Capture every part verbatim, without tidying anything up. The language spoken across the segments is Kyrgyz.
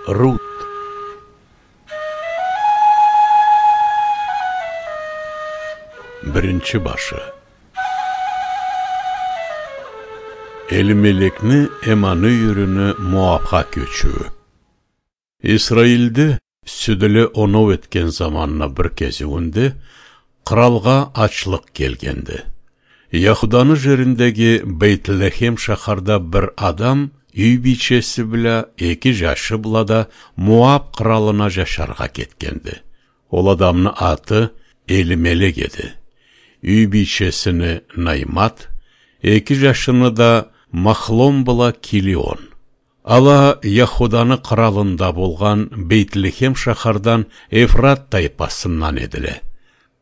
Рут. Биринчи башы. Элимелекни эманы үйрүнү Моапка көчүү. Исраилде сүдүлө онов эткен заманына бир кезигинде кралга ачлык келгенди. Яхуданы жериндеги Бейтлехем шахарда бир адам үй бичеси биле эки жашы булада Моап кралына жашарга кеткенди. Ол адамны аты Элимелек эди. Үй бичесини Наймат, эки жашыны да Махлон була Килион. Ала Яхуданы кралында болган Бейтлехем шахардан Эфрат тайпасынан эдиле.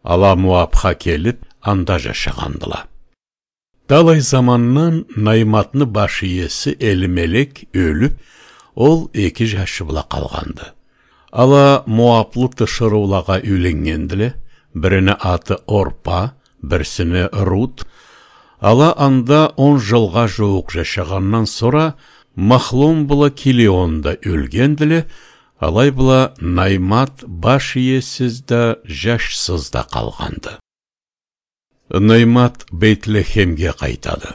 Ала Моапка келип, анда жашагандыла. Талай заманнан Найматны баш ийеси Элимелек өлүп, ол эки жашы була калганды. Ала Моаплы тышыруулага үйленгендиле, бирине аты Орпа, бирсине Рут. Ала анда он жылга жуук жашагандан сора Махлон була Килионда өлгендиле, алай була Наймат баш ийесиз да жашсыз да калганды. Наймат Бейтлехемге кайтады.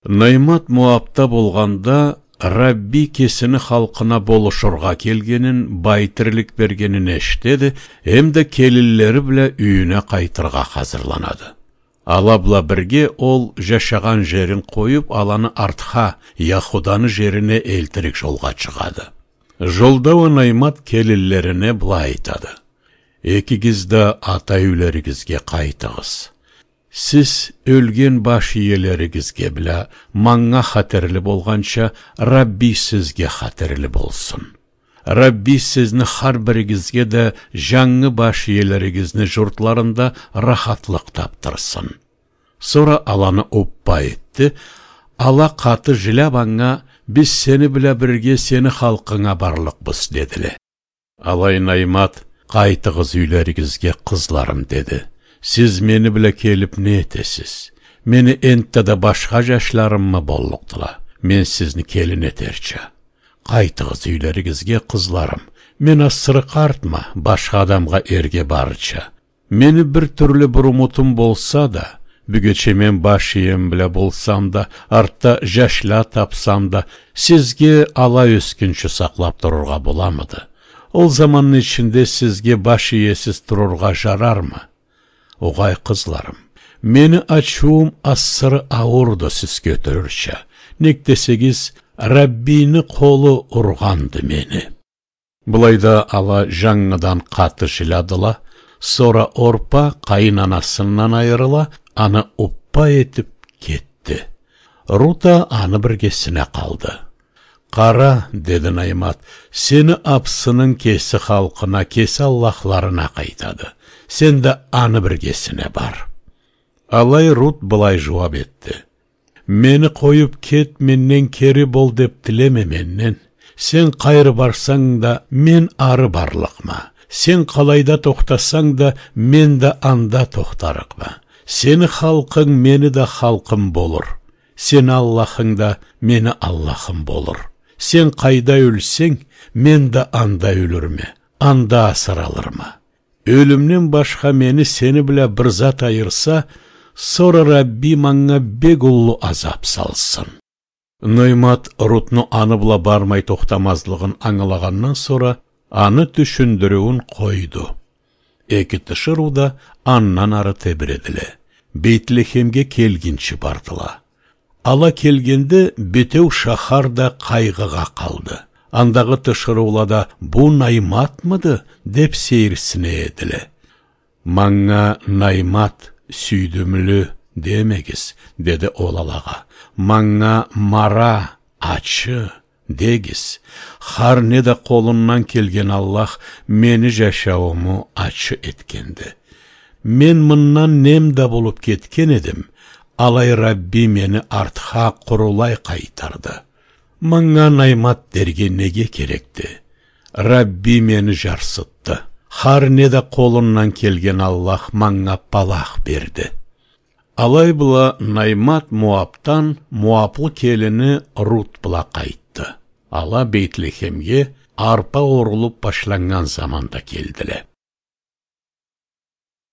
Наймат Моапта болганда Рабби кесини халкына болушурга келгенин, байтирлик бергенин эштеди, эмде келиллери биле үйүнө кайтырга азырланады. Ала була бирге ол жашаган жерин коюп, аланы артка, Яхуданы жерине элтирик жолга чыгады. Жолда Наймат келиллерине былай айтады: «Экигиз да ата үйлеригизге кайтыгыз. Сиз өлген баш ийелеригизге биле маңга хатерлі болганча Рабби сизге хатерлі болсун. Рабби сизни har биригизге да жаңы баш ийелеригизни журтларында рахатлык таптырсын». Сора аланы оппа этти. Ала каты жылап аңа: «Биз сени биле бирге сени халкыңа барлыкбыз» дедиле. Алай Наймат: «Кайтыгыз үйлеригизге, кызларым» деди. «Сиз мени биле келип не этесиз? Мени энтте да башка жашларыммы боллуктула. Мен сизни келин этерчи. Кайтыгыз үйлеригизге, кызларым. Мен асыры картма, башка адамга эрге барыча. Мени бир түрлү бир умутум болса да, бүгөчө мен баш ийем биле болсам да, артта жашла тапсам да, сизге ала өскүнчө саклап турурга боламыды? Ол замандын ичинде сизге баш ийесиз турурга жарармы? Огай кызларым, мени ачуум асыры ауырды сиз көтөрүрчү. Ник десегиз, Раббини колу урганды мени». Булайда ала жаңыдан каты жыладыла, сора Орпа кайнанасынан айырыла, аны уппа этип кетти. Рута аны биргесине калды. «Кара», деди Наймат, «сени апсынын кеси халкына, кеси аллахларына кайтады. Сен да аны биргесине бар». Алай Рут былай жооп этти: «Мени коюп кет, менден кери бол деп тилеме менден. Сен кайры барсаң да, мен ары барлыкма. Сен калайда токтасаң да, мен да анда токтарыкма. Сени халкың мени да халкым болур. Сен Аллахың да мени Аллахым болур. Сен кайда өлсең, мен да анда өлүрмө, анда асыралырмы? Өлүмнен башка мени сени биле бир зат айырса, сора Рабби маңга бек улуу азап салсын». Наймат Рутну аны була бармай токтамазлыгын аңылагандан сора аны түшүндүрүүн койду. Эки тышыруда аннан ары тебиредиле. Бейтлехемге келгинчи бардыла. Ала келгенде бетеу шахарда кайгыга калды. Андагы тышыруулада «Бу Найматмыды?» деп сейирсине эдиле. «Маңга Наймат сүйдүмлү демегиз», деди ол алага. «Маңга Мара, ачы дегиз. Har ne de колуннан келген Аллах мени жашауыму ачы эткенди. Мен мындан немде болуп кеткен едим. Алай Рабби мени артха курулай кайтарды. Маңга Наймат дерге неге керекти? Рабби мени жарсытты. Har ne de колуннан келген Аллах маңга палах берди. Алай була Наймат Моаптан Моаплы келини Рут була кайтты. Ала Бейтлехемге арпа орулуп башланган заманда келдиле.